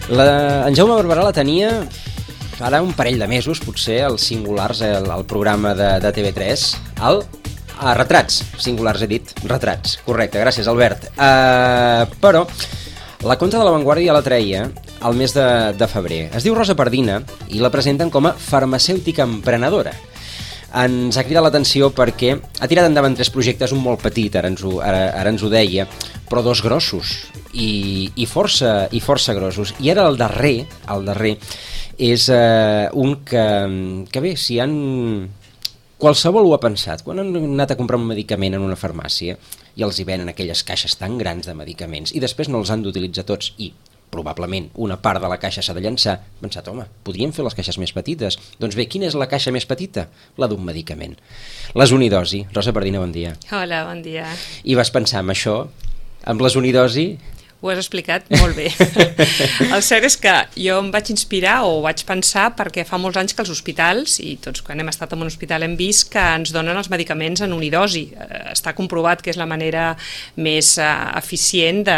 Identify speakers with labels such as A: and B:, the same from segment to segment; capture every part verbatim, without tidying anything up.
A: La, en Jaume Barberà la tenia ara un parell de mesos, potser, als Singulars, el, el programa de, de T V tres, el a Retrats, Singulars he dit, Retrats, correcte, gràcies Albert. Uh, però la conta de La Vanguardia la treia al mes de, de febrer. Es diu Rosa Pardina i la presenten com a farmacèutica emprenedora. Ens ha cridat l'atenció perquè ha tirat endavant tres projectes, un molt petit, ara ens ho, ara, ara ens ho deia, però dos grossos i, i, força, i força grossos. I ara el darrer, el darrer és eh, un que, que bé, si han... Qualsevol ho ha pensat. Quan han anat a comprar un medicament en una farmàcia i els hi venen aquelles caixes tan grans de medicaments i després no els han d'utilitzar tots i probablement una part de la caixa s'ha de llançar, he pensat, home, podríem fer les caixes més petites. Doncs bé, quina és la caixa més petita? La d'un medicament. Les Unidosi. Rosa Pardina, bon dia.
B: Hola, bon dia.
A: I vas pensar en això, amb les Unidosi?
B: Ho has explicat molt bé. El cert és que jo em vaig inspirar o vaig pensar perquè fa molts anys que els hospitals, i tots quan hem estat en un hospital hem vist que ens donen els medicaments en unidosi. Està comprovat que és la manera més uh, eficient de,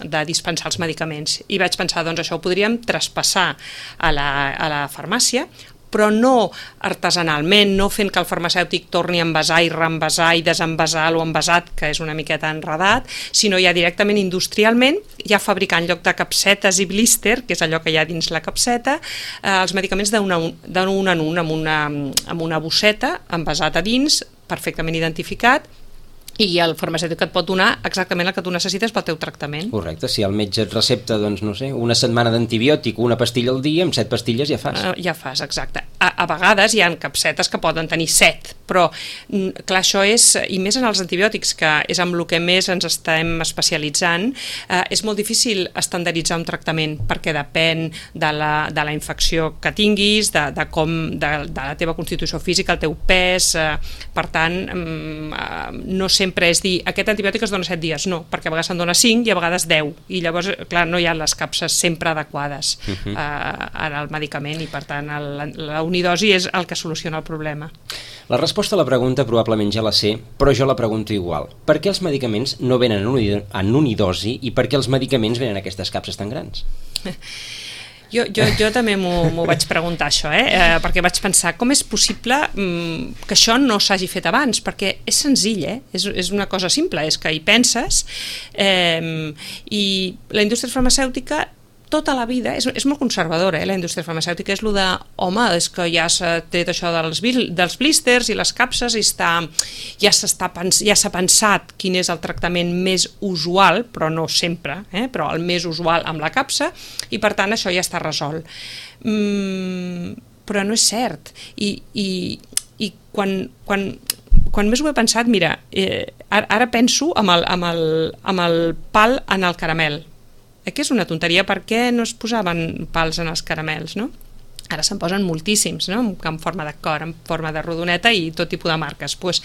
B: de dispensar els medicaments. I vaig pensar, doncs això ho podríem traspassar a la, a la farmàcia, però no artesanalment, no fent que el farmacèutic torni a envasar i reenvasar i desenvasar o envasat, que és una miqueta enredat, sinó ja directament industrialment, ja fabricar en lloc de capsetes i blister, que és allò que hi ha dins la capseta, eh, els medicaments d'un en un, amb una, amb una bosseta, envasat a dins, perfectament identificat, i el farmacèutic et pot donar exactament el que tu necessites pel teu tractament.
A: Correcte, si el metge et recepta, doncs, no sé, una setmana d'antibiòtic, una pastilla al dia, amb set pastilles ja fas.
B: Uh, ja fas, exacte. A, a vegades hi ha capsetes que poden tenir set, però, clar, això és, i més en els antibiòtics, que és amb el que més ens estem especialitzant, uh, és molt difícil estandarditzar un tractament, perquè depèn de la, de la infecció que tinguis, de, de com, de, de la teva constitució física, el teu pes, uh, per tant, um, uh, no sempre sempre és dir, aquest antibiòtic es dona set dies, no, perquè a vegades se'n dona cinc i a vegades deu, i llavors, clar, no hi ha les capses sempre adequades uh-huh. uh, al medicament, i per tant el, la unidosi és el que soluciona el problema.
A: La resposta a la pregunta probablement ja la sé, però jo la pregunto igual. Per què els medicaments no venen en unidosi i per què els medicaments venen en aquestes capses tan grans?
B: Jo, jo, jo també m'ho vaig preguntar, això, eh? Eh, perquè vaig pensar, com és possible mm, que això no s'hagi fet abans? Perquè és senzill, eh? és, és una cosa simple, és que hi penses, eh, i la indústria farmacèutica tota la vida, és, és molt conservadora, eh, la indústria farmacèutica, és el de, home, és que ja s'ha tret això dels, dels blisters i les capses i està, ja s'ha ja s'ha pensat quin és el tractament més usual, però no sempre, eh, però el més usual amb la capsa, i per tant això ja està resolt. Mm, però no és cert, i, i, i quan, quan, quan més ho he pensat, mira, eh, ara, ara penso amb el, amb, el, amb el pal en el caramel, que és una tonteria, per què no es posaven pals en els caramels, no? Ara se'n posen moltíssims, no? En forma de cor, en forma de rodoneta i tot tipus de marques. Pues,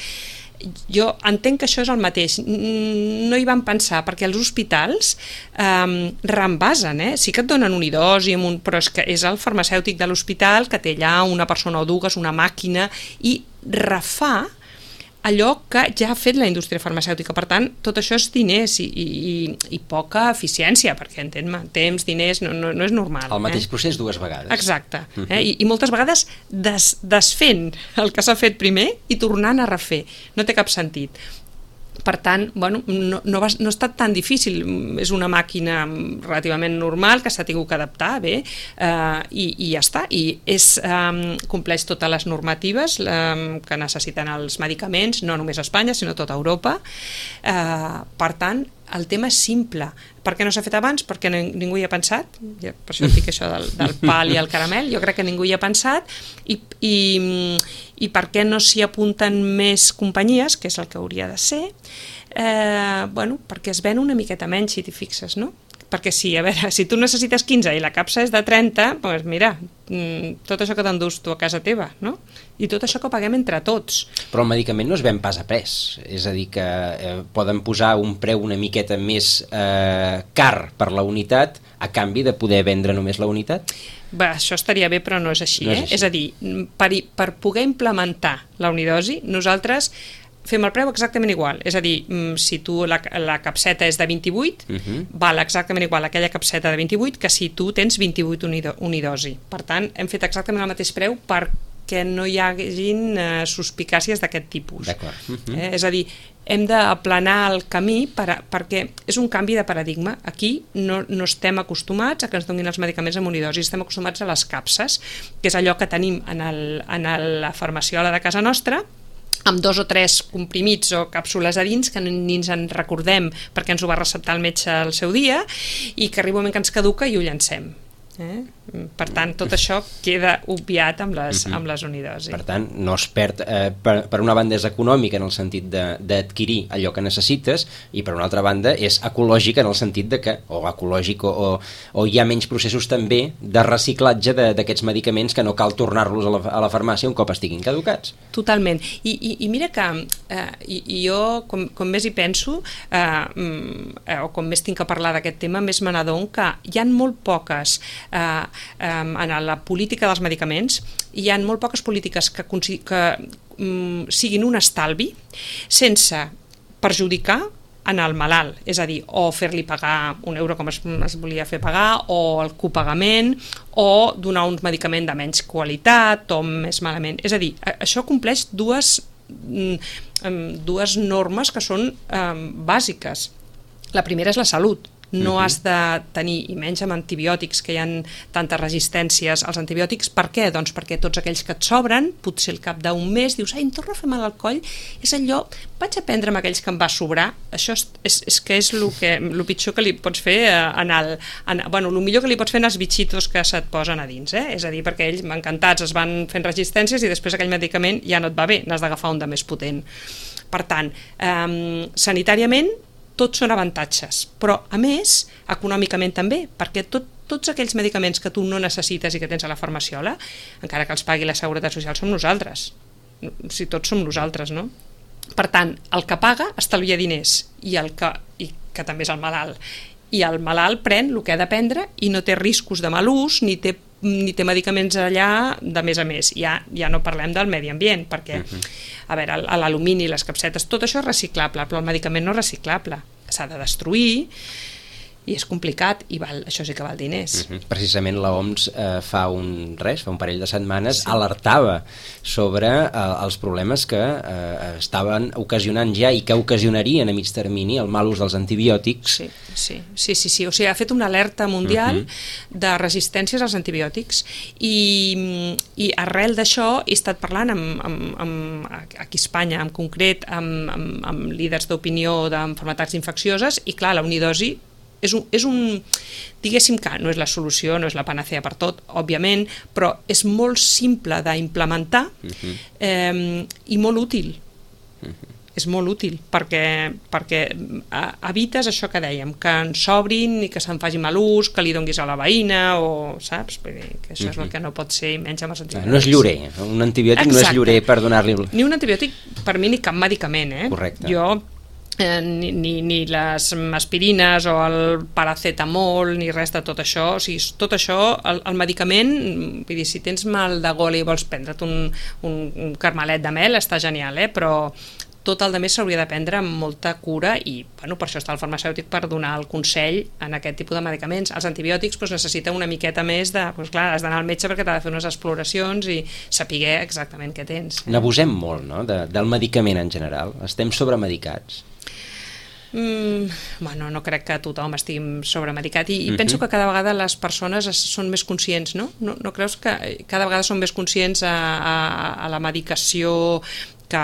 B: jo entenc que això és el mateix, no hi van pensar, perquè els hospitals eh, reenvasen, eh? Sí que et donen unidosi, un, però és que és el farmacèutic de l'hospital que té allà una persona o dues, una màquina, i refà allò que ja ha fet la indústria farmacèutica. Per tant, tot això és diners i, i, i poca eficiència, perquè entén-me, temps, diners, no, no, no és normal.
A: El mateix
B: eh?
A: procés dues vegades.
B: Exacte. Uh-huh. eh? I, I moltes vegades des, desfent el que s'ha fet primer i tornant a refer. No té cap sentit. Per tant, bueno, no, no, va, no ha estat tan difícil, és una màquina relativament normal que s'ha tingut que adaptar bé eh, i, i ja està, i és, eh, compleix totes les normatives eh, que necessiten els medicaments, no només a Espanya sinó a tota Europa. Eh, per tant, el tema és simple. Per què no s'ha fet abans? Perquè ningú hi ha pensat. Per això dic això del, del pal i el caramel. Jo crec que ningú hi ha pensat. I, i, i per què no s'hi apunten més companyies, que és el que hauria de ser? Eh, bueno, perquè es ven una miqueta menys, si t'hi fixes, no? Perquè sí, a veure, si tu necessites quinze i la capsa és de trenta, doncs mira, tot això que t'endús tu a casa teva, no? I tot això que paguem entre tots.
A: Però el medicament no es ven pas a pes, és a dir, que eh, poden posar un preu una miqueta més eh, car per la unitat a canvi de poder vendre només la unitat?
B: Bé, això estaria bé, però no és així,
A: no
B: eh?
A: És així.
B: És a dir, per, per poder implementar la unidosi, nosaltres fem el preu exactament igual, és a dir, si tu la, la capseta és de vint-i-vuit, uh-huh. val exactament igual aquella capseta de vint-i-vuit que si tu tens vint-i-vuit unido, unidosi. Per tant, hem fet exactament el mateix preu perquè no hi hagin eh, suspicàcies d'aquest tipus.
A: D'acord. Uh-huh.
B: Eh, és a dir, hem d'aplanar el camí per a, perquè és un canvi de paradigma. Aquí no, no estem acostumats a que ens donin els medicaments amb unidosi, estem acostumats a les capses, que és allò que tenim en, el, en el, la farmaciola de casa nostra, amb dos o tres comprimits o càpsules a dins que ni ens en recordem perquè ens ho va receptar el metge al seu dia i que arriba un moment que ens caduca i ho llancem. Eh? Per tant, tot això queda obviat amb les, uh-huh. amb les unidosi.
A: Per tant, no es perd, eh, per, per una banda és econòmica en el sentit d'adquirir allò que necessites i per una altra banda és ecològica en el sentit de que, o ecològic o, o, o hi ha menys processos també de reciclatge d'aquests medicaments que no cal tornar-los a, la, a la farmàcia un cop estiguin caducats.
B: Totalment. I, i, i mira que eh, i, i jo, com, com més hi penso eh, eh, o com més tinc que parlar d'aquest tema, més me n'adon que hi ha molt poques Uh, um, en la política dels medicaments hi ha molt poques polítiques que, que um, siguin un estalvi sense perjudicar en el malalt, és a dir, o fer-li pagar un euro com es, es volia fer pagar, o el copagament, o donar un medicament de menys qualitat o més malament. És a dir, això compleix dues, um, dues normes que són um, bàsiques. La primera és la salut. No uh-huh. has de tenir, i menys amb antibiòtics, que hi ha tantes resistències als antibiòtics. Per què? Doncs perquè tots aquells que et sobren, potser al cap d'un mes dius, ai, em torna a fer mal al coll, és allò, vaig a prendre amb aquells que em va sobrar. Això és, és, és que és el que, el pitjor que li pots fer en el, en, bueno, el millor que li pots fer en els bitxitos que se't posen a dins, eh? És a dir, perquè ells encantats es van fent resistències i després aquell medicament ja no et va bé, n'has d'agafar un de més potent. Per tant, eh, sanitàriament tots són avantatges, però a més econòmicament també, perquè tot, tots aquells medicaments que tu no necessites i que tens a la farmaciola, encara que els pagui la Seguretat Social, som nosaltres, si tots som nosaltres, no? Per tant, el que paga estalvia diners i el que, i que també és el malalt, i el malalt pren el que ha de prendre i no té riscos de mal ús ni té ni té medicaments allà de més a més. Ja, ja no parlem del medi ambient, perquè uh-huh. a veure, l'alumini, les capsetes, tot això és reciclable, però el medicament no és reciclable, s'ha de destruir i és complicat i val, això sí que val diners.
A: Uh-huh. Precisament l'O M S eh, fa un res, fa un parell de setmanes sí. alertava sobre eh, els problemes que eh, estaven ocasionant ja i que ocasionarien a mig termini el mal ús dels antibiòtics.
B: Sí, sí, sí, sí, sí. O sigui, ha fet una alerta mundial uh-huh. de resistències als antibiòtics i, i arrel d'això he estat parlant amb, amb, amb, aquí a Espanya en concret amb, amb, amb líders d'opinió d'enfermetats infeccioses i clar, la unidosi És un, és un, diguéssim que no és la solució, no és la panacea per tot, òbviament, però és molt simple d'implementar uh-huh. eh, i molt útil. Uh-huh. És molt útil, perquè, perquè evites això que dèiem, que en s'obrin i que se'n faci mal ús, que li donguis a la veïna, o saps? Perquè que això uh-huh. és el que no pot ser, menys amb els antibiòtics.
A: No és llorer, un antibiòtic Exacte. No és llorer per donar-li...
B: Ni un antibiòtic, per mi, ni cap medicament, eh?
A: Correcte.
B: Jo... Eh, ni, ni, ni les aspirines o el paracetamol ni res de tot això, o sigui, tot això el, el medicament, vull dir, si tens mal de gola i vols prendre't un, un, un carmelet de mel està genial, eh? Però tot el de més s'hauria de prendre amb molta cura i bueno, per això està el farmacèutic per donar el consell en aquest tipus de medicaments. Els antibiòtics doncs, necessiten una miqueta més de... Doncs, clar, has d'anar al metge perquè t'ha de fer unes exploracions i saber exactament què tens. Eh?
A: N'abusem molt, no?, de, del medicament en general. Estem sobremedicats.
B: Mm, bueno, no crec que tothom estigui sobremedicat i, i uh-huh. penso que cada vegada les persones es, són més conscients, no? no? No creus que cada vegada són més conscients a, a, a la medicació que,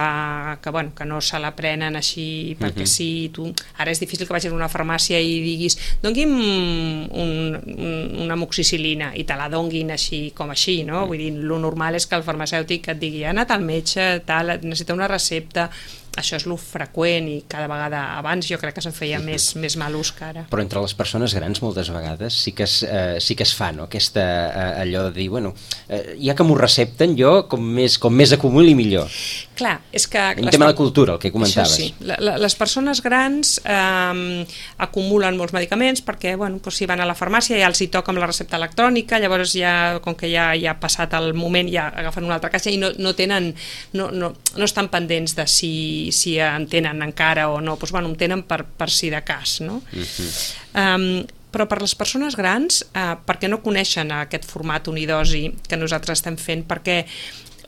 B: que, bueno, que no se la prenen així perquè uh-huh. sí, tu... Ara és difícil que vagis a una farmàcia i diguis doni'm un, un, una amoxicil·lina i te la donguin així com així, no? Vull dir, lo normal és que el farmacèutic et digui ha anat al metge, tal, necessita una recepta. Això és lo freqüent i cada vegada abans jo crec que se'n feia més, més mal ús que ara.
A: Però entre les persones grans moltes vegades sí que es, eh, sí que es fa, no? Aquesta, eh, allò de dir, bueno, eh, ja que m'ho recepten jo com més, com més acumuli millor.
B: Clar, és que...
A: Un tema de cultura, el que comentaves.
B: Això sí, la, la, les persones grans eh, acumulen molts medicaments perquè, bueno, doncs si van a la farmàcia ja els hi toca amb la recepta electrònica, llavors ja, com que ja, ja ha passat el moment, ja agafen una altra caixa i no, no tenen, no, no, no estan pendents de si si, si en tenen encara o no, doncs, bueno, en tenen per, per si de cas, no? Uh-huh. Um, però per les persones grans, eh, perquè no coneixen aquest format unidosi que nosaltres estem fent, perquè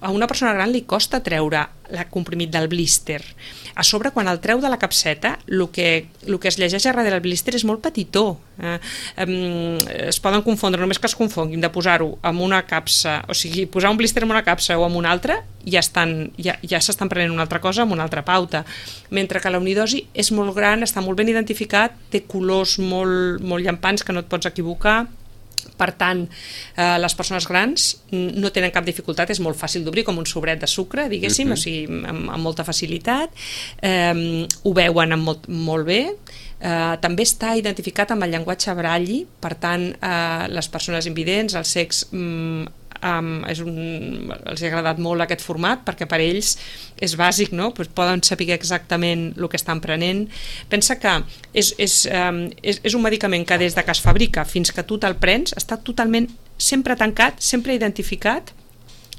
B: a una persona gran li costa treure el comprimit del blister. A sobre, quan el treu de la capseta, el que, el que es llegeix a darrere del blister és molt petitó. Eh, eh, es poden confondre, només que es confonguin de posar-ho en una capsa, o sigui, posar un blister en una capsa o en una altra, ja estan, ja, ja s'estan prenent una altra cosa amb una altra pauta. Mentre que la unidosi és molt gran, està molt ben identificat, té colors molt, molt llampants que no et pots equivocar. Per tant, eh, les persones grans no tenen cap dificultat, és molt fàcil d'obrir, com un sobret de sucre, diguéssim, uh-huh. o sigui, amb, amb molta facilitat, eh, ho veuen amb molt, molt bé, eh, també està identificat amb el llenguatge Braille, per tant, eh, les persones invidents, els cecs, mm, Um, és un, els ha agradat molt aquest format perquè per ells és bàsic, no? Pues poden saber exactament el que estan prenent. Pensa que és, és, um, és, és un medicament que des de que es fabrica fins que tu te'l prens està totalment sempre tancat, sempre identificat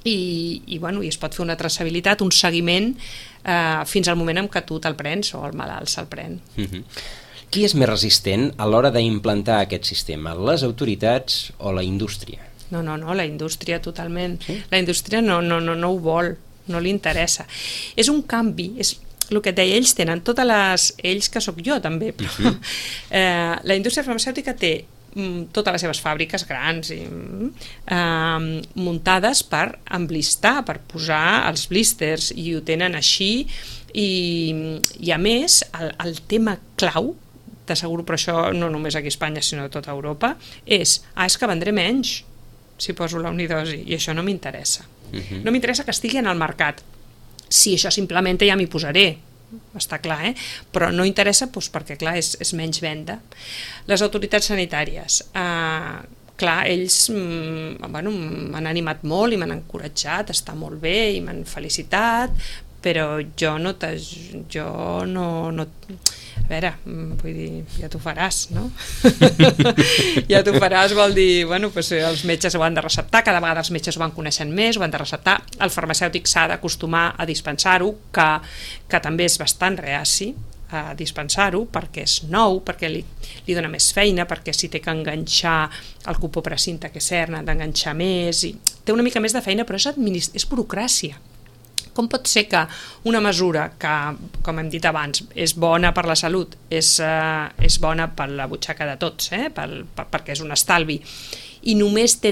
B: i, i, bueno, i es pot fer una traçabilitat, un seguiment uh, fins al moment en què tu te'l prens o el malalt se'l pren.
A: Mm-hmm. Qui és més resistent a l'hora d'implantar aquest sistema? Les autoritats o la indústria?
B: No, no, no, la indústria totalment. Sí? La indústria no, no, no, no ho vol, no li interessa. És un canvi, és el que et deia, ells tenen totes les... Ells que sóc jo també, però uh-huh. eh, la indústria farmacèutica té mm, totes les seves fàbriques grans i, eh, muntades per emblistar, per posar els blisters, i ho tenen així, i, i a més, el, el tema clau, t'asseguro, però això no només aquí a Espanya, sinó a tota Europa, és, ah, és que vendré menys si poso la unidosi, i això no m'interessa. Uh-huh. No m'interessa que estigui en el mercat. Si això s'implementa ja m'hi posaré, està clar, eh? Però no interessa doncs, perquè, clar, és, és menys venda. Les autoritats sanitàries, eh, clar, ells mm, bueno, m'han animat molt i m'han encoratjat, està molt bé i m'han felicitat, però jo no... jo no, no a veure, vull dir, ja t'ho faràs, no? Ja t'ho faràs vol dir, bueno, doncs els metges ho han de receptar, cada vegada els metges ho van coneixent més, ho han de receptar, el farmacèutic s'ha d'acostumar a dispensar-ho, que, que també és bastant reaci a dispensar-ho, perquè és nou, perquè li, li dona més feina, perquè si té que enganxar el cupó-precinte que cern, ha d'enganxar més, i té una mica més de feina, però és, administ- és burocràcia. Com pot ser que una mesura que, com hem dit abans, és bona per la salut, és, uh, és bona per la butxaca de tots, eh? per, per, perquè és un estalvi, i només té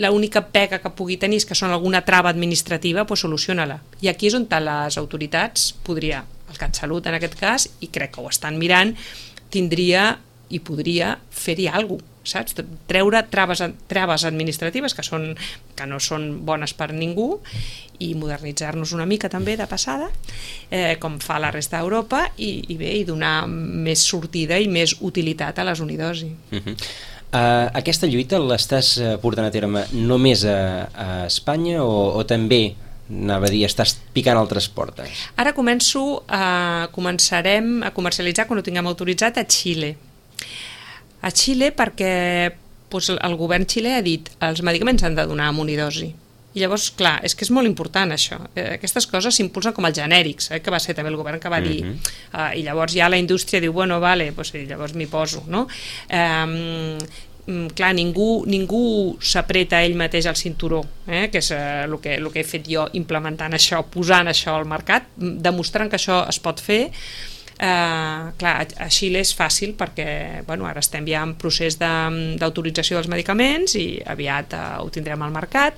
B: l'única pega que pugui tenir és que són alguna trava administrativa, doncs soluciona-la. I aquí és on les autoritats podria, el CatSalut en aquest cas, i crec que ho estan mirant, tindria i podria fer-hi alguna cosa, saps? Treure traves, traves administratives que, són, que no són bones per ningú i modernitzar-nos una mica també de passada, eh, com fa la resta d'Europa, i, i bé, i donar més sortida i més utilitat a les unidosi.
A: Uh-huh. Uh, aquesta lluita l'estàs portant a terme només a, a Espanya o, o també, anava a dir, estàs picant altres portes?
B: Ara començo a, començarem a comercialitzar, quan ho tinguem autoritzat, a Xile. A Xile perquè doncs, el govern xilè ha dit que els medicaments han de donar amb unidosi. I llavors, clar, és que és molt important això. Eh, aquestes coses s'impulsen com els genèrics, eh, que va ser també el govern que va dir. Uh-huh. eh, I llavors ja la indústria diu, bueno, vale, pues, llavors m'hi poso, no? Eh, clar, ningú, ningú s'apreta ell mateix al cinturó, eh, que és eh, el, que, el que he fet jo implementant això, posant això al mercat, demostrant que això es pot fer. Uh, clar, a Xile és fàcil perquè bueno, ara estem ja en procés d'autorització de, dels medicaments i aviat uh, ho tindrem al mercat.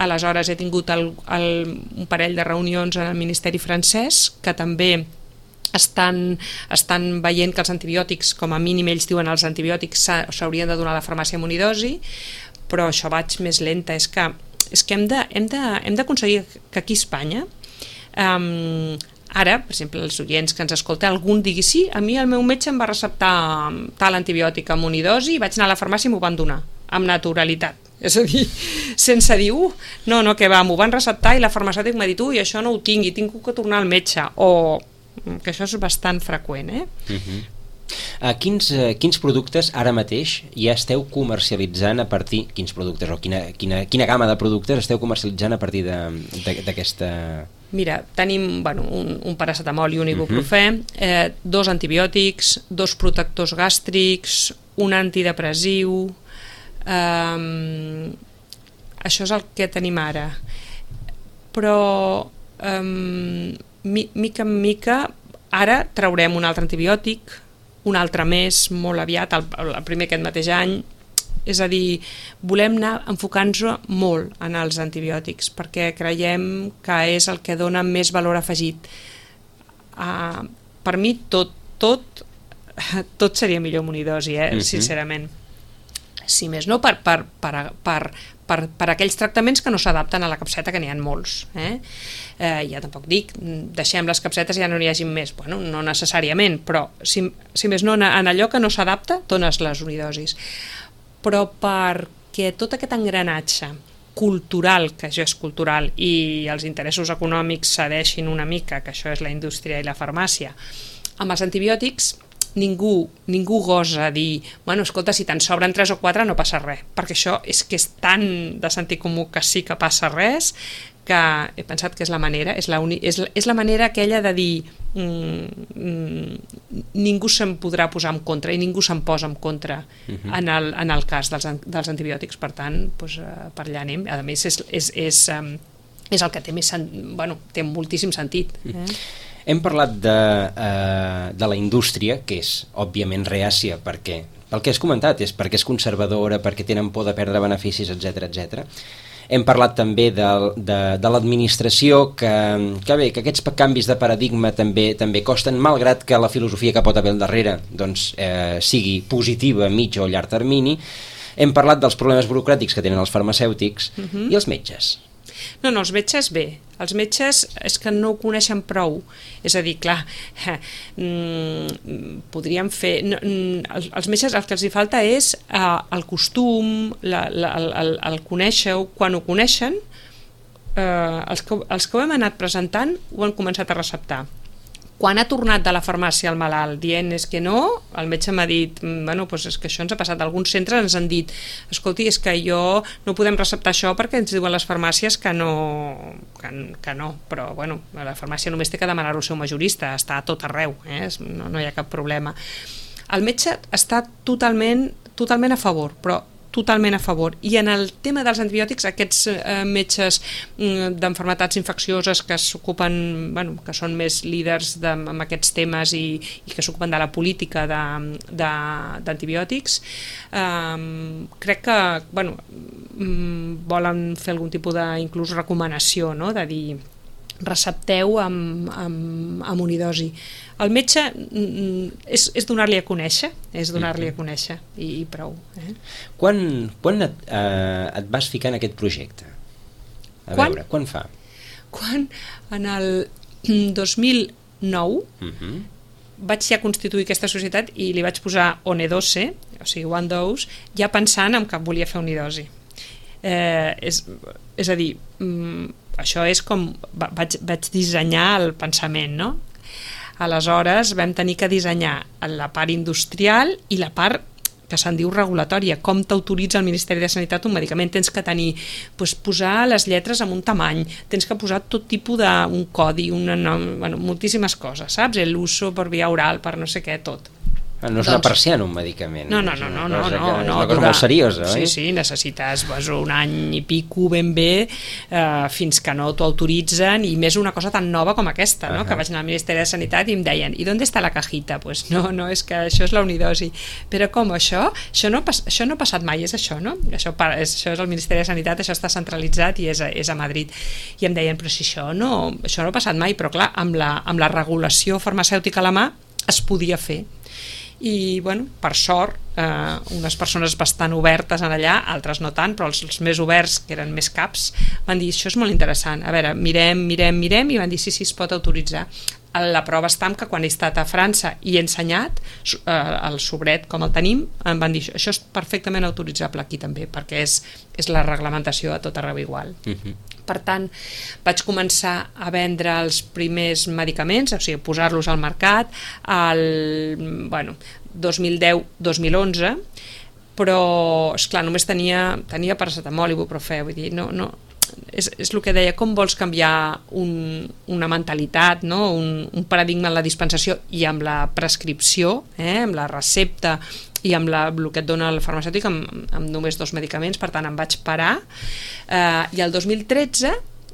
B: Aleshores he tingut el, el, un parell de reunions en el Ministeri francès que també estan, estan veient que els antibiòtics, com a mínim ells diuen els antibiòtics s'haurien de donar a la farmàcia amb unidosi, però això vaig més lenta. És que, és que hem de, hem de, hem d'aconseguir que aquí a Espanya um, ara, per exemple, els oients que ens escolten, algun digui, sí, a mi el meu metge em va receptar tal antibiòtic amb unidosi i vaig anar a la farmàcia i m'ho van donar, amb naturalitat. És a dir, sense dir, uh, no, no, que va, m'ho van receptar i la farmacèutica m'ha dit, ui, això no ho tinc i tinc que tornar al metge, o que això és bastant freqüent, eh? Uh-huh.
A: Uh, quins, uh, quins productes ara mateix ja esteu comercialitzant a partir, quins productes o quina, quina, quina gamma de productes esteu comercialitzant a partir d'aquesta
B: Mira, tenim bueno, un, un paracetamol i un ibuprofè, eh, dos antibiòtics, dos protectors gàstrics, un antidepressiu, eh, això és el que tenim ara. Però eh, mica en mica ara traurem un altre antibiòtic, un altre més, molt aviat, el, el primer aquest mateix any. És a dir, volem anar enfocant-nos molt en els antibiòtics perquè creiem que és el que dona més valor afegit. Uh, per mi tot, tot, tot seria millor amb unidosi, eh? Uh-huh. Sincerament. Si més no, per, per, per, per, per, per aquells tractaments que no s'adapten a la capseta, que n'hi ha molts. Eh? Eh, ja tampoc dic, deixem les capsetes i ja no n'hi hagi més. Bueno, no necessàriament, però si, si més no, en allò que no s'adapta, dones les unidosis. Però perquè tot aquest engranatge cultural, que això és cultural, i els interessos econòmics cedeixin una mica, que això és la indústria i la farmàcia, amb els antibiòtics ningú, ningú gosa dir, bueno, escolta, si te'n sobren tres o quatre no passa res, perquè això és que és tan de sentit comú que sí que passa res, que he pensat que és la manera, és la, uni, és, és la manera aquella de dir mm, mm, ningú se'n podrà posar en contra i ningú se'n posa en contra uh-huh. en, el, en el cas dels, dels antibiòtics, per tant, doncs, per allà anem. A més, és, és, és, és el que té més bueno, té moltíssim sentit. Eh? Uh-huh.
A: Hem parlat de, uh, de la indústria, que és òbviament reàcia, perquè, pel que has comentat, és perquè és conservadora, perquè tenen por de perdre beneficis, etcètera, etcètera. Hem parlat també de, de, de l'administració, que, que bé, que aquests canvis de paradigma també també costen, malgrat que la filosofia que pot haver al darrere doncs, eh, sigui positiva a mig o llarg termini. Hem parlat dels problemes burocràtics que tenen els farmacèutics uh-huh. i els metges.
B: No, no, els metges bé. Els metges és que no ho coneixen prou. És a dir, clar, eh, mm, podríem fer... No, els, els metges el que els hi falta és eh, el costum, la, la, el, el conèixer-ho. Quan ho coneixen, eh, els, que, els que ho hem anat presentant ho han començat a receptar. Quan ha tornat de la farmàcia el malalt dient és que no, el metge m'ha dit, bueno, doncs és que això ens ha passat. Alguns centres ens han dit, escolti, és que jo no podem receptar això perquè ens diuen les farmàcies que no, que, que no. Però, bueno, la farmàcia només té que demanar-ho al seu majorista, està a tot arreu, eh? no, no hi ha cap problema. El metge està totalment, totalment a favor, però totalment a favor. I en el tema dels antibiòtics, aquests eh, metges mm, d'enfermetats infeccioses que s'ocupen, bueno, que són més líders de, amb aquests temes i, i que s'ocupen de la política d'antibiòtics, eh, crec que bueno, mm, volen fer algun tipus de inclús recomanació, no? De dir recepteu amb, amb, amb unidosi. El metge és, és donar-li a conèixer, és donar-li a conèixer i, i prou. Eh?
A: Quan, quan et, eh, et vas ficar en aquest projecte? A quan? veure, quan fa?
B: Quan? En el dos mil nou uh-huh. vaig ja constituir aquesta societat i li vaig posar Onedose, o sigui, One Dose, ja pensant en que volia fer unidosi. Eh, és, és a dir, això és com vaig, vaig dissenyar el pensament, no? Aleshores vam tenir que dissenyar la part industrial i la part que se'n diu regulatòria, com t'autoritza el Ministeri de Sanitat un medicament. Tens que tenir, doncs, posar les lletres amb un tamany, tens que posar tot tipus d'un codi, una, bueno, moltíssimes coses, saps? L'uso per via oral, per no sé què, tot.
A: No és doncs, una persiana, un medicament.
B: No, no, no, no, no, no,
A: no,
B: no,
A: és una cosa molt seriosa,
B: sí,
A: oi?
B: Sí, sí, necessites pues, un any i pico ben bé eh, fins que no t'ho autoritzen, i més una cosa tan nova com aquesta, no? Uh-huh. Que vaig anar al Ministeri de Sanitat i em deien, i d'on està la cajita? Pues no, no, és que això és la unidosi. Però com això? Això no, això no ha passat mai, és això, no? Això, és, això és el Ministeri de Sanitat, això està centralitzat i és a, és a Madrid. I em deien, però si això no, això no ha passat mai, però clar, amb la, amb la regulació farmacèutica a la mà es podia fer. I, bueno, per sort, eh, unes persones bastant obertes en allà, altres no tant, però els, els més oberts, que eren més caps, van dir, això és molt interessant, a veure, mirem, mirem, mirem, i van dir, sí, sí, es pot autoritzar. La prova està en que quan he estat a França i he ensenyat eh, el sobret com el tenim, em van dir, això és perfectament autoritzable aquí també, perquè és, és la reglamentació a tot arreu igual. Uh-huh. Per tant, vaig començar a vendre els primers medicaments, o sigui, posar-los al mercat al bueno, dos mil deu dos mil onze, però, esclar, només tenia, tenia paracetamol i ibuprofè, vull dir, no, no, és, és el que deia, com vols canviar un, una mentalitat, no? un, un paradigma en la dispensació i amb la prescripció, eh? amb la recepta i amb la, el que et dona el farmacèutic amb, amb només dos medicaments, per tant em vaig parar, eh, i el dos mil tretze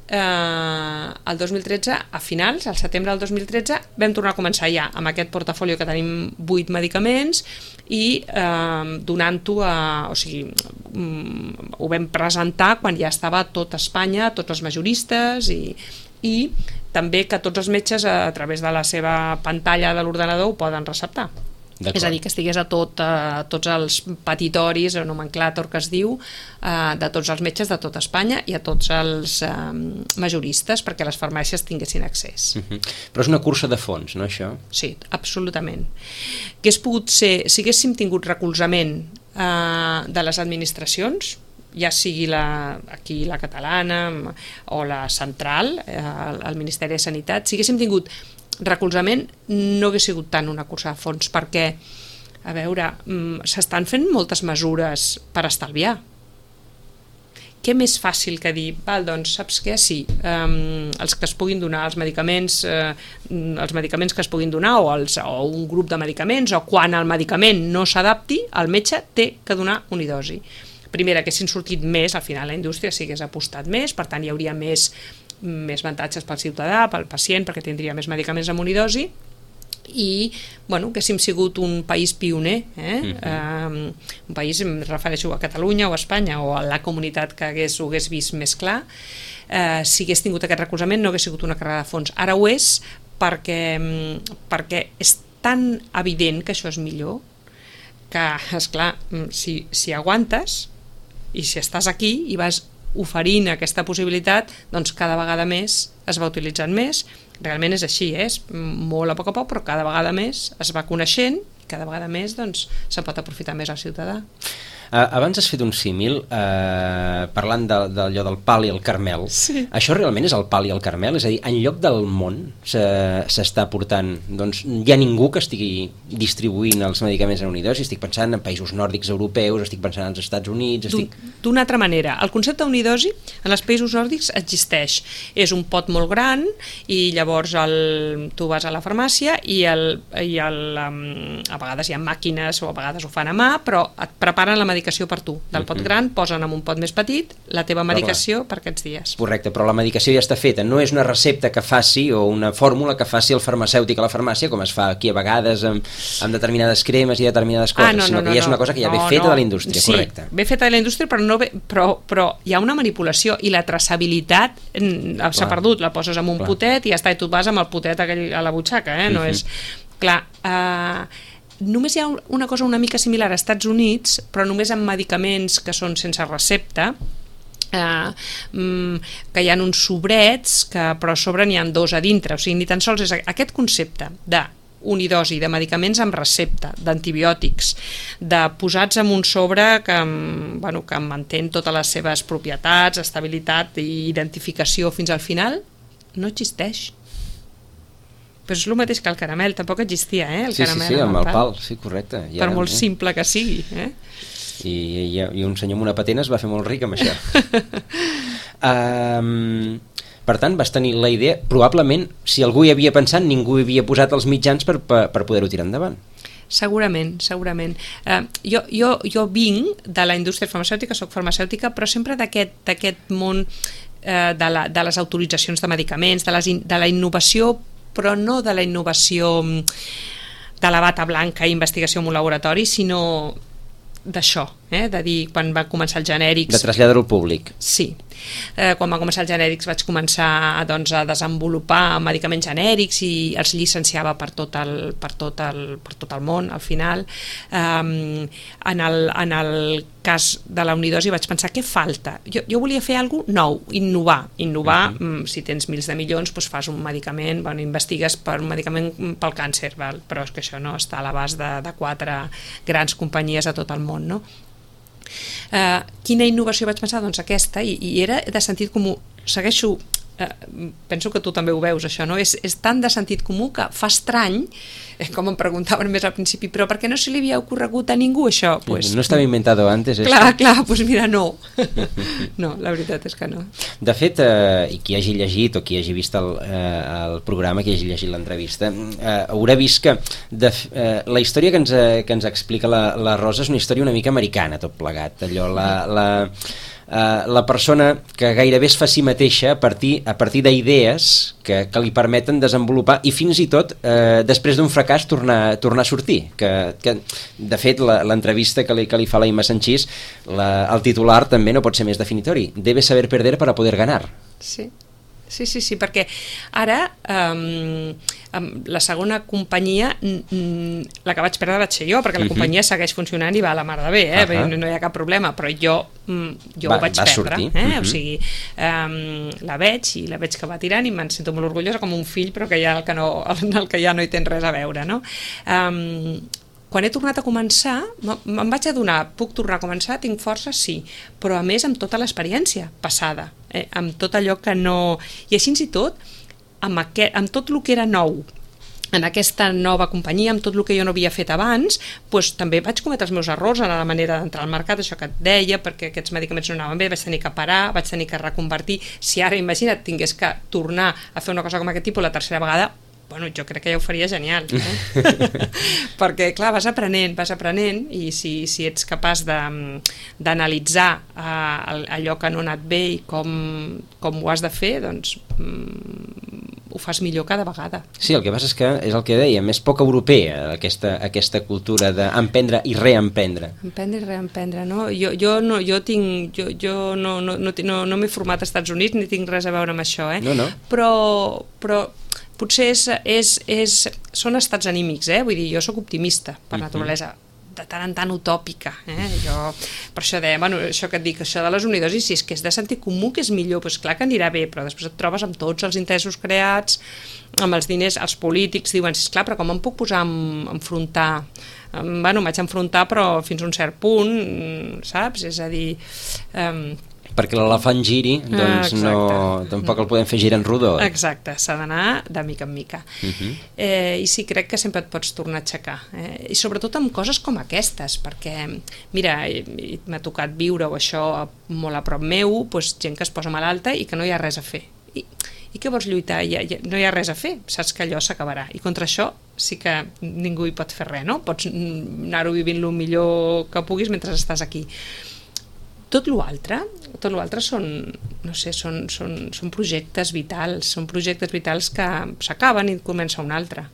B: eh, el dos mil tretze, a finals, al setembre del dos mil tretze, vam tornar a començar ja amb aquest portafolio que tenim vuit medicaments i eh, donant-ho a... o sigui, mm, ho vam presentar quan ja estava a tot Espanya, tots els majoristes i, i també que tots els metges a través de la seva pantalla de l'ordenador ho poden receptar. És a dir, que estigués a, tot, a tots els petitoris o nomenclàtor que es diu eh, de tots els metges de tot Espanya i a tots els eh, majoristes perquè les farmàcies tinguessin accés.
A: Uh-huh. Però és una cursa de fons, no, això?
B: Sí, absolutament. Hagués pogut ser, si haguéssim tingut recolzament eh, de les administracions, ja sigui la, aquí la catalana o la central, eh, el Ministeri de Sanitat, si haguéssim tingut recolzament, no hagués sigut tant una cursa de fons, perquè, a veure, s'estan fent moltes mesures per estalviar. Què més fàcil que dir, val, doncs, saps què? Sí, um, els que es puguin donar, els medicaments, eh, els medicaments que es puguin donar, o, els, o un grup de medicaments, o quan el medicament no s'adapti, el metge té que donar unidosi. Primera, que haguessin sortit més, al final la indústria s'hagués apostat més, per tant hi hauria més més avantatges pel ciutadà, pel pacient, perquè tindria més medicaments amb unidosi i, bueno, que haguéssim sigut un país pioner, eh? Uh-huh. um, un país, em refereixo a Catalunya o a Espanya o a la comunitat que hagués, ho hagués vist més clar, uh, si hagués tingut aquest recolzament no hagués sigut una carrera de fons. Ara ho és perquè, perquè és tan evident que això és millor que, esclar, si, si aguantes i si estàs aquí i vas oferint aquesta possibilitat, doncs cada vegada més es va utilitzant més. Realment és així, eh? És molt a poc a poc, però cada vegada més es va coneixent i cada vegada més doncs, se'n pot aprofitar més el ciutadà.
A: Uh, abans has fet un símil uh, parlant d'allò de, de, del pal i el carmel.
B: Sí.
A: Això realment és el pal i el carmel? És a dir, en lloc del món s'està portant, doncs hi ha ningú que estigui distribuint els medicaments en unidosi? Estic pensant en països nòrdics europeus, estic pensant als Estats Units... Estic...
B: D'una altra manera, el concepte d'unidosi en els països nòrdics existeix. És un pot molt gran i llavors el, tu vas a la farmàcia i, el, i el, um, a vegades hi ha màquines o a vegades ho fan a mà, però et preparen la medicació per tu. Del pot gran posen en un pot més petit la teva medicació per aquests dies.
A: Correcte, però la medicació ja està feta. No és una recepta que faci o una fórmula que faci el farmacèutic a la farmàcia, com es fa aquí a vegades amb, amb determinades cremes i determinades coses, ah, no, no, sinó que no, ja és una cosa que ja no, ve feta no. de la indústria,
B: sí,
A: correcte.
B: Ve feta de la indústria, però, no ve, però, però hi ha una manipulació i la traçabilitat s'ha perdut. La poses en un Clar. potet i ja està, i tu vas amb el potet aquell a la butxaca, eh? No uh-huh. és... Clar, eh... només hi ha una cosa una mica similar als Estats Units, però només amb medicaments que són sense recepta, eh, que hi ha uns sobrets que però a sobre n'hi ha dos a dintre, o sigui, ni tan sols és aquest concepte de unidosi, de medicaments amb recepta, d'antibiòtics, de posats en un sobre que, bueno, que mantén totes les seves propietats, estabilitat i identificació fins al final, no existeix. Però és el mateix que el caramel, tampoc existia, eh? El
A: sí,
B: caramel
A: sí, sí, amb el pal,
B: pal.
A: sí, correcte.
B: Ja, per molt eh? simple que sigui, eh?
A: I, i, i un senyor amb una patent es va fer molt ric amb això. um, per tant, vas tenir la idea, probablement, si algú hi havia pensat, ningú hi havia posat els mitjans per, per, per poder-ho tirar endavant.
B: Segurament, segurament. Uh, jo, jo, jo vinc de la indústria farmacèutica, soc farmacèutica, però sempre d'aquest d'aquest món uh, de, la, de les autoritzacions de medicaments, de, les in, de la innovació, però no de la innovació de la bata blanca i investigació en un laboratori, sinó d'això, eh? De dir, quan va començar els genèrics...
A: De traslladar-ho al públic.
B: Sí. Eh, quan va començar els genèrics vaig començar doncs, a desenvolupar medicaments genèrics i els llicenciava per tot el, per tot el, per tot el món, al final. Um, en, el, en el cas de la unidosi vaig pensar, què falta? Jo, jo volia fer alguna cosa nou, innovar. Innovar, uh-huh. si tens mils de milions, doncs fas un medicament, bueno, investigues per un medicament pel càncer, val? Però és que això no està a l'abast de, de quatre grans companyies a tot el món, no? Uh, quina innovació vaig pensar? Doncs aquesta, i, i era de sentit comú. Segueixo eh, penso que tu també ho veus això, no? És, és tan de sentit comú que fa estrany, eh, com em preguntaven més al principi, però per què no se li havia ocorregut a ningú això? Pues,
A: no estava inventado antes,
B: clar, esto? Clar, doncs pues mira, no. No, la veritat és que no.
A: De fet, eh, i qui hagi llegit o qui hagi vist el, eh, el programa, qui hagi llegit l'entrevista, eh, haurà vist que de, eh, la història que ens, que ens explica la, la Rosa és una història una mica americana, tot plegat. Allò, la, la, eh, la persona que gairebé es fa a si mateixa a partir, a partir d'idees que, que li permeten desenvolupar i fins i tot eh, després d'un fracàs tornar, tornar a sortir. Que, que, de fet, l'entrevista que li, que li fa la Imma Sanchís, la, el titular també no pot ser més definitori. Debe saber perder para poder ganar.
B: Sí. Sí, sí, sí, perquè ara um, um, la segona companyia, mm, la que vaig perdre vaig ser jo, perquè la uh-huh. companyia segueix funcionant i va a la mar de bé, eh? Uh-huh. no, no hi ha cap problema, però jo, mm, jo va, ho vaig perdre. Eh? Uh-huh. O sigui, um, la veig i la veig que va tirant i me'n sento molt orgullosa com un fill, però que ja el que, no, el que ja no hi tens res a veure, no? Um, quan he tornat a començar, me'n vaig adonar, puc tornar a començar, tinc força, sí, però a més amb tota l'experiència passada, eh, amb tot allò que no... I així i tot, amb, aquest, amb tot el que era nou, en aquesta nova companyia, amb tot el que jo no havia fet abans, doncs també vaig cometre els meus errors en la manera d'entrar al mercat, això que et deia, perquè aquests medicaments no anaven bé, vaig tenir que parar, vaig tenir que reconvertir. Si ara, imagina't, tingués que tornar a fer una cosa com aquest tipus la tercera vegada, bueno, jo crec que ja ho faria genial, eh? Perquè, clar, vas aprenent, vas aprenent, i si, si ets capaç d'analitzar uh, allò que no ha anat bé i com, com ho has de fer, doncs mm, ho fas millor cada vegada.
A: Sí, el que passa és que, és el que dèiem, és poc europea aquesta, aquesta cultura d'emprendre i reemprendre.
B: Emprendre i reemprendre, no? Jo, jo, no, jo tinc, jo, jo no, no, no, no, no m'he format als Estats Units ni tinc res a veure amb això, eh?
A: No, no.
B: Però... però potser és, és, és, són estats anímics, eh? Vull dir, jo sóc optimista per naturalesa, de tant en tant utòpica, eh? Jo, per això deia, bueno, això que et dic, això de les unidosis, si és que és de sentit comú que és millor, doncs clar que anirà bé, però després et trobes amb tots els interessos creats, amb els diners, els polítics diuen, sí, esclar, però com em puc posar a enfrontar? Bueno, m'haig enfrontar, però fins a un cert punt, saps? És a dir... Um,
A: perquè l'elefant giri, doncs ah, no, tampoc el podem fer girar en rodó. Eh?
B: Exacte, s'ha d'anar de mica en mica. Uh-huh. eh, I sí, crec que sempre et pots tornar a aixecar. Eh? I sobretot amb coses com aquestes, perquè, mira, m'ha tocat viure-ho això molt a prop meu, doncs, gent que es posa malalta i que no hi ha res a fer. I, i què vols lluitar? Ja, ja, no hi ha res a fer, saps que allò s'acabarà. I contra això sí que ningú hi pot fer res, no? Pots anar-ho vivint el millor que puguis mentre estàs aquí. Tot l'altre, tot l'altre són, no sé, són, són, són projectes vitals, són projectes vitals que s'acaben i comença un altre,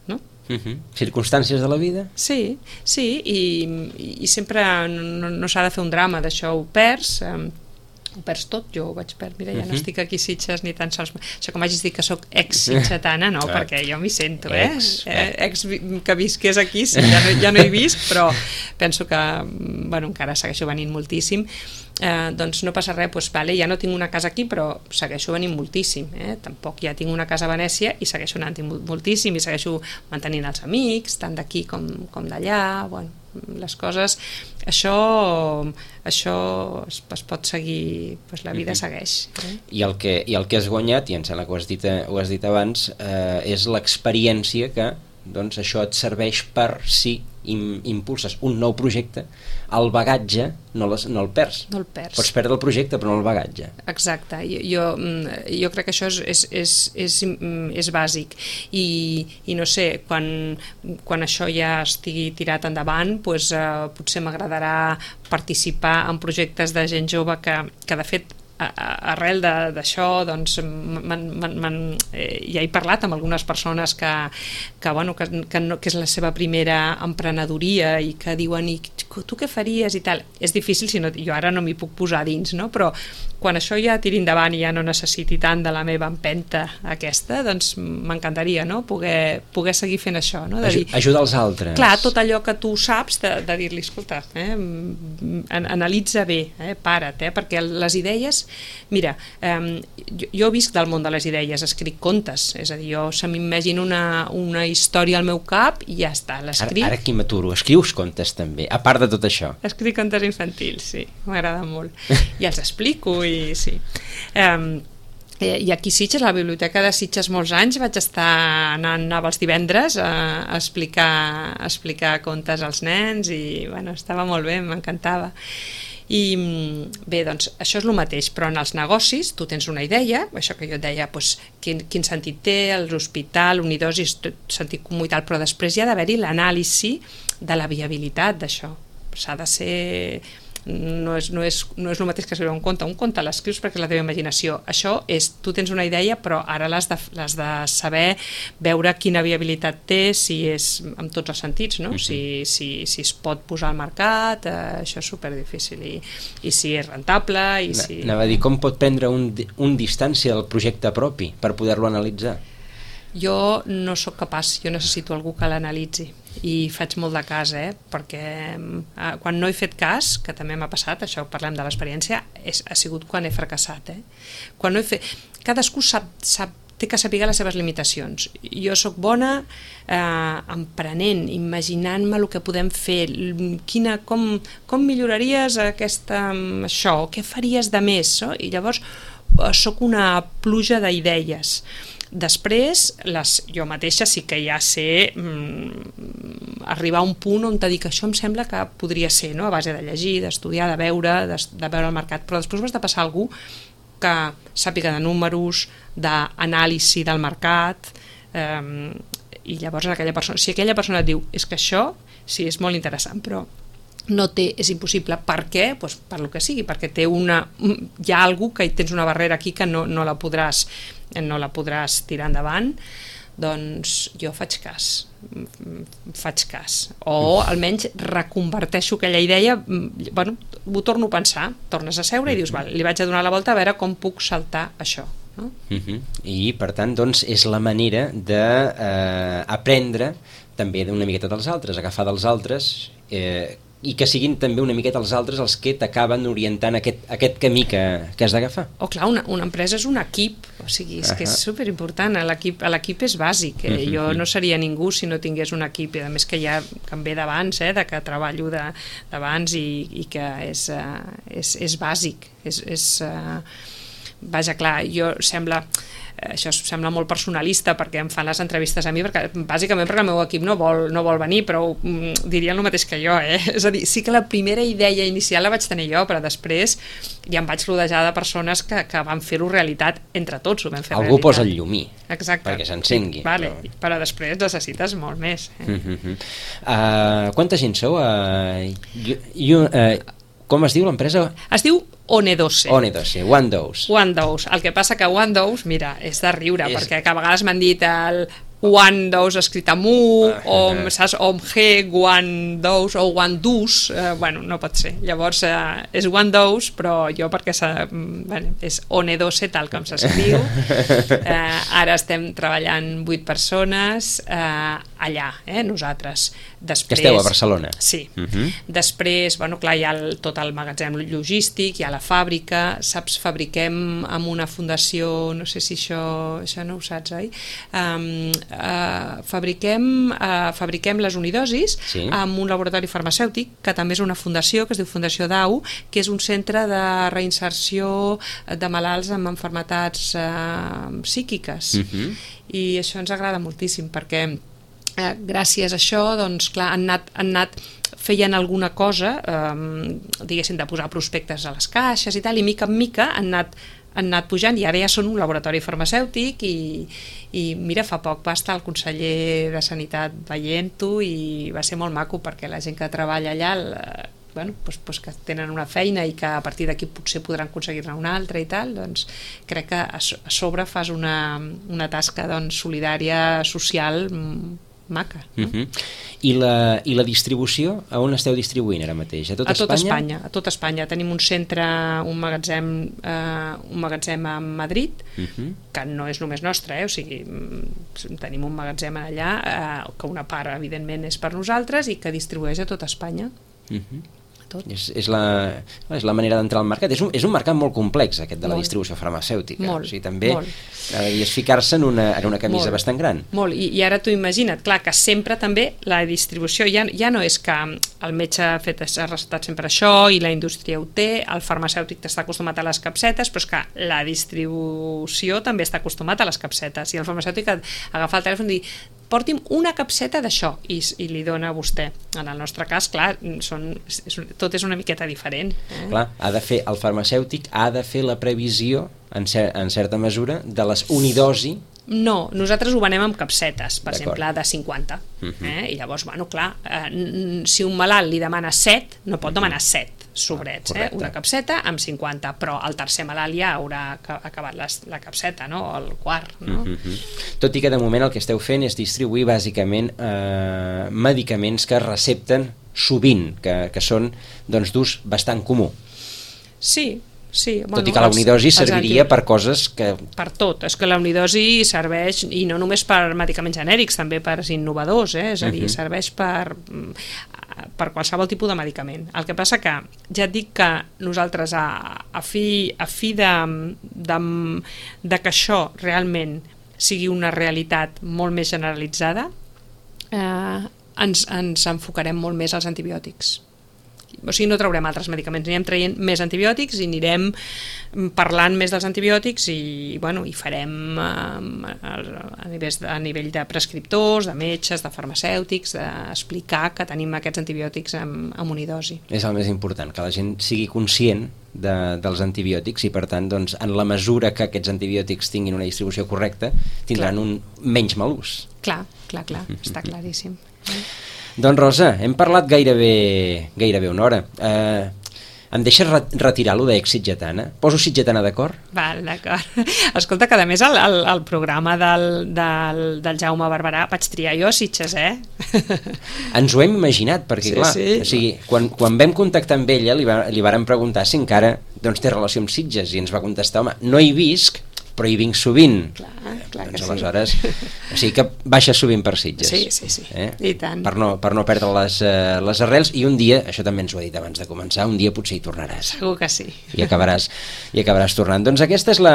B: no?
A: Uh-huh. Circumstàncies de la vida?
B: Sí, sí, i, i sempre no, no s'ha de fer un drama d'això, ho perds, eh, ho perds tot, jo ho vaig perdre, mira, ja no estic aquí a Sitges ni tan sols, això com hagis dit que soc ex-sitgetana, no, perquè jo m'hi sento, eh? Ex, eh? ex que visqués aquí, sí, ja no, ja no hi visc, però penso que, bueno, encara segueixo venint moltíssim, eh, doncs no passa res, doncs, vale, ja no tinc una casa aquí, però segueixo venint moltíssim, eh? Tampoc ja tinc una casa a Venècia i segueixo anant moltíssim i segueixo mantenint els amics, tant d'aquí com, com d'allà, bueno, les coses, això això es, es pot seguir, doncs la vida segueix. Eh?
A: I, el que, I el que has guanyat, i em sembla que ho has dit, ho has dit abans, eh, és l'experiència que doncs, això et serveix per si im, impulses un nou projecte, el bagatge no, les, no el perds.
B: No el perds.
A: Pots perdre el projecte però no el bagatge.
B: Exacte, jo, jo, jo crec que això és, és, és, és, és bàsic i, i no sé, quan, quan això ja estigui tirat endavant, doncs, eh, potser m'agradarà participar en projectes de gent jove que, que de fet arrel d'això doncs, man, man, man, eh, ja he parlat amb algunes persones que, que, bueno, que, que, no, que és la seva primera emprenedoria i que diuen, i tu què faries i tal, és difícil, si no, jo ara no m'hi puc posar dins, no? Però quan això ja tiri endavant i ja no necessiti tant de la meva empenta aquesta, doncs m'encantaria, no? poder, poder seguir fent això, no? De dir,
A: ajudar els altres.
B: Clar, tot allò que tu saps, de, de dir-li, escolta, eh, analitza bé, eh, para't, eh, perquè les idees, mira, eh, jo, jo visc del món de les idees, escric contes, és a dir, jo se m'imagino una, una història al meu cap i ja està, l'escric.
A: Ara, ara aquí m'aturo, escrius contes també, a part de tot això.
B: Escric contes infantils, sí, m'agrada molt. I els explico i sí. Um, I aquí a Sitges, a la biblioteca de Sitges molts anys, vaig estar anant, anava els divendres a, a, explicar, a explicar contes als nens i bueno, estava molt bé, m'encantava. I bé, doncs això és el mateix, però en els negocis tu tens una idea, això que jo et deia, doncs, quin, quin sentit té, l'hospital, unidosis, sentit comú i tal, però després hi ha d'haver-hi l'anàlisi de la viabilitat d'això. S'ha de ser... No és, no, és, no és el mateix que escriure un conte. Un conte l'escrius perquè és la teva imaginació. Això és, tu tens una idea, però ara l'has de, l'has de saber veure quina viabilitat té, si és en tots els sentits, no? Uh-huh. si, si, si es pot posar al mercat, eh, això és superdifícil, i, i si és rentable, i si...
A: Anava a dir, com pot prendre un, un distància del projecte propi per poder-lo analitzar?
B: Jo no sóc capaç, jo necessito algú que l'analitzi i faig molt de cas, eh? perquè eh, quan no he fet cas, que també m'ha passat, això parlem de l'experiència, és, ha sigut quan he fracassat. Eh? Quan no he fet... Cadascú sap, sap, té que saber les seves limitacions. Jo sóc bona eh, emprenent, imaginant-me el que podem fer, quina, com, com milloraries aquesta, això, què faries de més, no? I llavors eh, sóc una pluja d'idees. Després, les, jo mateixa sí que ja sé mm, arribar a un punt on te dic que això em sembla que podria ser, no? A base de llegir, d'estudiar, de veure, de, de veure el mercat, però després has de passar a algú que sàpiga de números, d'anàlisi del mercat, eh, i llavors aquella persona, si aquella persona et diu és que això sí és molt interessant, però no té, és impossible. Per què? Pues per lo que sigui, perquè té una, hi ha algú que tens una barrera aquí que no, no la podràs no la podràs tirar endavant, doncs jo faig cas, faig cas, o almenys reconverteixo aquella idea, bueno, ho torno a pensar, tornes a seure i dius, val, li vaig a donar la volta a veure com puc saltar això. No?
A: Uh-huh. I per tant, doncs, és la manera d'aprendre eh, també d'una miqueta dels altres, agafar dels altres, eh, i que siguin també una miqueta els altres els que t'acaben orientant aquest, aquest camí que, que has d'agafar.
B: Oh, clar, una, una empresa és un equip, o sigui, és uh-huh. que és superimportant, l'equip, l'equip és bàsic, eh? uh-huh. Jo no seria ningú si no tingués un equip, i a més que ja que em ve d'abans, eh? de que treballo d'abans i, i que és, uh, és, és bàsic, és, és uh, vaja, clar, jo sembla... això sembla molt personalista perquè em fan les entrevistes a mi, perquè, bàsicament perquè el meu equip no vol, no vol venir, però mm, dirien el mateix que jo, eh? És a dir, sí que la primera idea inicial la vaig tenir jo, però després ja em vaig rodejar de persones que, que van fer-ho realitat, entre tots ho vam fer
A: algú
B: realitat.
A: Posa el llumí.
B: Exacte.
A: Perquè s'encengui.
B: Vale,
A: però...
B: però després necessites molt més. Eh?
A: Uh-huh. uh, quanta gent sou? Uh, you, you, uh, com es diu l'empresa?
B: Es diu Onedose.
A: Onedose, One Dose.
B: One Dose. El que passa que One Dose, mira, és de riure,
A: és...
B: perquè que a vegades m'han dit el One Dose escrit amb U, uh, o, uh, saps, o amb G, One Dose, o One Dose, eh, bueno, no pot ser. Llavors, eh, és One Dose, però jo perquè bueno, és Onedose, tal com s'escriu. Eh, ara estem treballant vuit persones eh, allà, eh, nosaltres. Després,
A: que esteu a Barcelona.
B: Sí.
A: Uh-huh.
B: Després, bueno, clar, hi ha el, tot el magatzem logístic, hi ha la fàbrica, saps, fabriquem amb una fundació, no sé si això, això no ho saps, oi? Um, uh, fabriquem, uh, fabriquem les unidosis sí. amb un laboratori farmacèutic, que també és una fundació, que es diu Fundació D A U, que és un centre de reinserció de malalts amb malalties uh, psíquiques. Uh-huh. I això ens agrada moltíssim, perquè Eh, gràcies a això, doncs, clar, han anat, han anat feien alguna cosa, eh, diguéssim, de posar prospectes a les caixes i tal, i mica en mica han anat, han anat pujant, i ara ja són un laboratori farmacèutic, i, i mira, fa poc va estar el conseller de Sanitat veient-ho, i va ser molt maco, perquè la gent que treballa allà... El, bueno, doncs, doncs que tenen una feina i que a partir d'aquí potser podran aconseguir-ne una altra i tal, doncs crec que a sobre fas una, una tasca doncs, solidària, social, maca. No?
A: Uh-huh. I, la, I la distribució, a on esteu distribuint ara mateix? A tot
B: a Espanya? Tot
A: Espanya?
B: A tot Espanya. Tenim un centre, un magatzem, eh, un magatzem a Madrid, uh-huh. que no és només nostre, eh? O sigui, tenim un magatzem allà, eh, que una part, evidentment, és per nosaltres i que distribueix a tot Espanya. Uh-huh. tot.
A: És, és, la, és la manera d'entrar al mercat. És un, és un mercat molt complex, aquest de la
B: molt.
A: distribució farmacèutica.
B: Molt,
A: o sigui, també
B: molt.
A: és ficar-se en una, en una camisa
B: molt,
A: bastant gran.
B: Molt, I, i ara tu imagina't, clar, que sempre també la distribució, ja, ja no és que el metge ha, fet, ha recetat sempre això i la indústria ho té, el farmacèutic està acostumat a les capsetes, però és que la distribució també està acostumat a les capsetes, i el farmacèutic agafa el telèfon i dir porti'm una capseta d'això i, i li dona a vostè. En el nostre cas, clar, són, és, tot és una miqueta diferent. Eh?
A: Clar, ha de fer, el farmacèutic ha de fer la previsió, en, cer en certa mesura, de les unidosi.
B: No, nosaltres ho venem amb capsetes, per exemple, de cinquanta. Uh -huh. eh? I llavors, bueno, clar, eh, si un malalt li demana set, no pot demanar set sobrets, ah, eh? Una capseta amb cinquanta, però el tercer malalt ja haurà acabat les, la capseta, no? O el quart, no?
A: Uh -huh. Tot i que de moment el que esteu fent és distribuir bàsicament eh, medicaments que es recepten sovint, que, que són doncs, d'ús bastant comú.
B: Sí, sí.
A: Tot bueno, i que la unidosi serviria per coses que...
B: Per tot, és que la unidosi serveix, i no només per medicaments genèrics, també per innovadors, eh? És a dir, uh -huh. serveix per... per qualsevol tipus de medicament. El que passa que ja et dic que nosaltres a, a fi, a fi de, de, de que això realment sigui una realitat molt més generalitzada, eh, ens, ens enfocarem molt més als antibiòtics. O sigui, no traurem altres medicaments, anirem traient més antibiòtics i anirem parlant més dels antibiòtics i, bueno, i farem eh, a, nivell de, a nivell de prescriptors, de metges, de farmacèutics, d'explicar que tenim aquests antibiòtics amb, amb unidosi.
A: És el més important, que la gent sigui conscient de, dels antibiòtics i, per tant, doncs, en la mesura que aquests antibiòtics tinguin una distribució correcta, tindran clar. un menys mal ús.
B: Clar, clar, clar, està claríssim.
A: Doncs Rosa, hem parlat gairebé, gairebé una hora. Eh, em deixes retirar-lo d'Èxit Sitgetana? Poso Sitgetana d'acord?
B: Val, d'acord. Escolta, que a més el, el, el programa del, del, del Jaume Barberà vaig triar jo a Sitges, eh?
A: Ens ho hem imaginat, perquè
B: sí,
A: clar,
B: sí.
A: O sigui, quan, quan vam contactar amb ella li, va, li vàrem preguntar si encara doncs, té relació amb Sitges i ens va contestar, home, no hi visc, però hi vinc sovint.
B: Clar, clar
A: doncs,
B: que
A: aleshores,
B: sí.
A: O sigui que baixa sovint per Sitges.
B: Sí, sí, sí,
A: eh?
B: I tant.
A: Per no, per no perdre les, uh, les arrels, i un dia, això també ens ho ha dit abans de començar, un dia potser hi tornaràs.
B: Segur que sí.
A: I acabaràs, i acabaràs tornant. Doncs aquesta és la,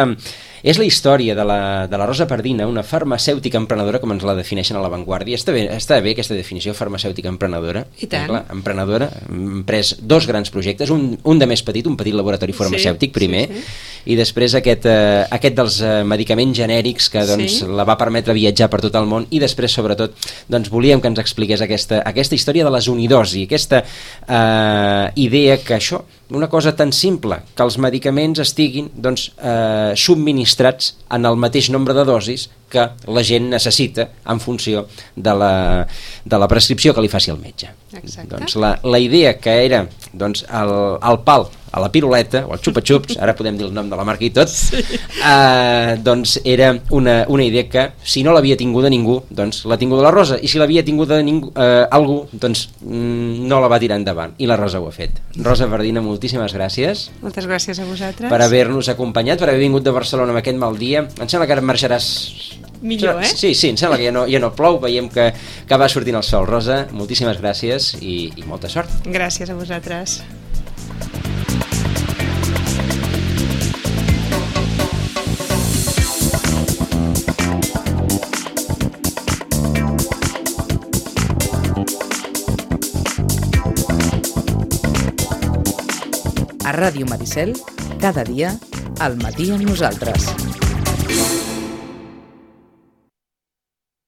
A: és la història de la, de la Rosa Pardina, una farmacèutica emprenedora, com ens la defineixen a La Vanguardia. Està bé, està bé aquesta definició, farmacèutica emprenedora.
B: I tant.
A: Clar, emprenedora, hem pres dos grans projectes, un, un de més petit, un petit laboratori farmacèutic, sí, primer, sí, sí. I després aquest, uh, aquest dels uh, medicaments genèrics que doncs, sí. la va permetre viatjar per tot el món, i després, sobretot, doncs, volíem que ens expliqués aquesta, aquesta història de les unidosi, aquesta eh, idea que això, una cosa tan simple, que els medicaments estiguin doncs, eh, subministrats en el mateix nombre de dosis que la gent necessita en funció de la, de la prescripció que li faci el metge.
B: Exacte.
A: Doncs la, la idea que era doncs, el, el pal a la piruleta, o el xupa-xups, ara podem dir el nom de la marca i tot, sí. eh, doncs era una, una idea que, si no l'havia tinguda ningú, doncs l'ha tinguda la Rosa, i si l'havia tinguda ningú, eh, algú, doncs mm, no la va tirar endavant, i la Rosa ho ha fet. Rosa Pardina, moltíssimes gràcies.
B: Moltes gràcies a vosaltres.
A: Per haver-nos acompanyat, per haver vingut de Barcelona amb aquest mal dia. Em sembla que ara marxaràs...
B: Millor, eh?
A: Sí, sí, em sembla que ja no, ja no plou, veiem que, que va sortint el sol. Rosa, moltíssimes gràcies i, i molta sort.
B: Gràcies a vosaltres.
C: A Ràdio Maricel, cada dia, al matí amb nosaltres.